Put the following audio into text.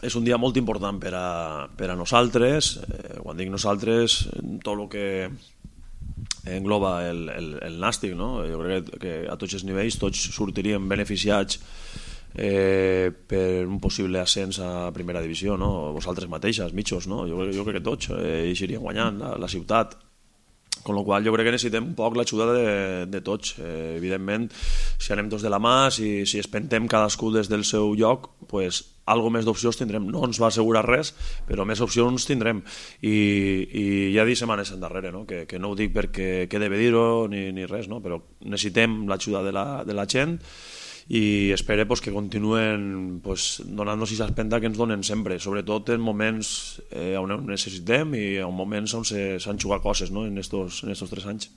És un dia molt important per a nosaltres. Quan dic nosaltres, tot el que engloba el nàstic, no? Jo crec que a tots els nivells tots sortiríem beneficiats per un possible ascens a primera divisió, no? Vosaltres mateixes, mitjos, no? Jo crec que tots eixiríem guanyant la ciutat. Con lo qual jo crec que necessitem un poc l'ajuda de tots. Evidentment, si anem tots de la mà, si espentem cadascú des del seu lloc, pues, algo més d'opcions tindrem. No ens va assegurar res, però més opcions tindrem. I ja dic setmanes endarrere, no? Que no ho dic perquè quede bé dir-ho ni res, no? Però necessitem l'ajuda de la gent i espero pues, que continuen pues, donant-nos aquesta empenta que ens donen sempre, sobretot en moments on ho necessitem i en moments on s'han jugat coses, no? en estos 3 anys.